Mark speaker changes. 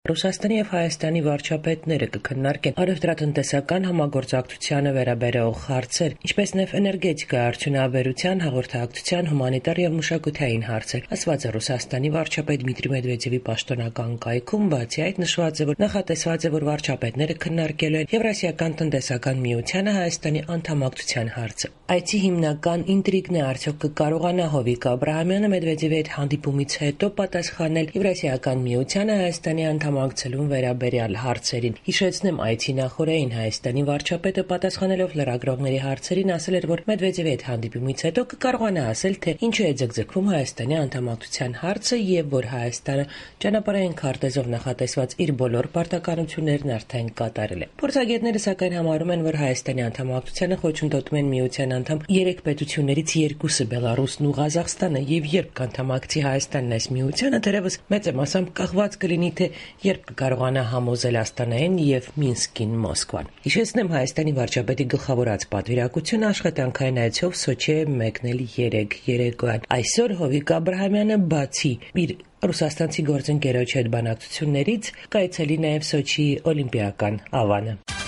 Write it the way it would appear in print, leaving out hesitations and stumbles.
Speaker 1: Ռուսաստանի եւ Հայաստանի վարչապետները կքննարկեն առևտրատնտեսական համագործակցությանը վերաբերող հարցեր, ինչպես նաեւ էներգետիկայի արդյունաբերության, հաղորդակցության, հումանիտար եւ մշակութային հարցեր, ասված է Ռուսաստանի վարչապետ Դմիտրի Մեդվեդևի պաշտոնական կայքում, բացի այդ նշված է, որ նախատեսված է, որ վարչապետները քննարկելու են Եվրասիական տնտեսական միությանը Հայաստանի անդամակցության հարցը։ Այցի հիմնական ինտրիգն է արդյոք կկարողանա Հովիկ Աբրահամյանը Մեդվեդևի հետ հանդիպումից հետո պատասխանել Եվրասիական միությանը Հայաստանի անդամակցելուն վերաբերյալ հարցերին։ Հիշեցնեմ, այցի նախօրեին Հայաստանի վարչապետը պատասխանելով լրագրողների հարցերին ասել էր, որ Մեդվեդևի հետ հանդիպումից հետո կկարողանա ասել, թե ինչու է ձգձգվում Հայաստանի անդամակցության հարցը եւ որ Հայաստանը ճանապարհային քարտեզով նախատեսված իր բոլոր պարտականություններն արդեն կատարել է։ Փորձագետները սակայն համարում են, որ Հայաստանի անդամակցությանը խոչընդոտում են միության անդամ 3 պետություններից 2-ը՝ Բելարուսն ու Ղազախստանը, եւ երբ կանդամակցի Հայաստանն այս միությանը, թերևս մեծ մասամբ կախված կլինի, թե երբ կկարողանա համոզել Աստանային եւ Մինսկին Մոսկվան։ Հիշեցնեմ, Հայաստանի վարչապետի գլխավորած պատվիրակությունը աշխատանքային այցով Սոչի է մեկնել 3 երեկոյան։ Այսօր Հովիկ Աբրահամյանը բացի իր ռուսաստանցի գործընկերոջ հետ բանակցություններից կայցելի նաև Սոչիի օլիմպիական ավանը։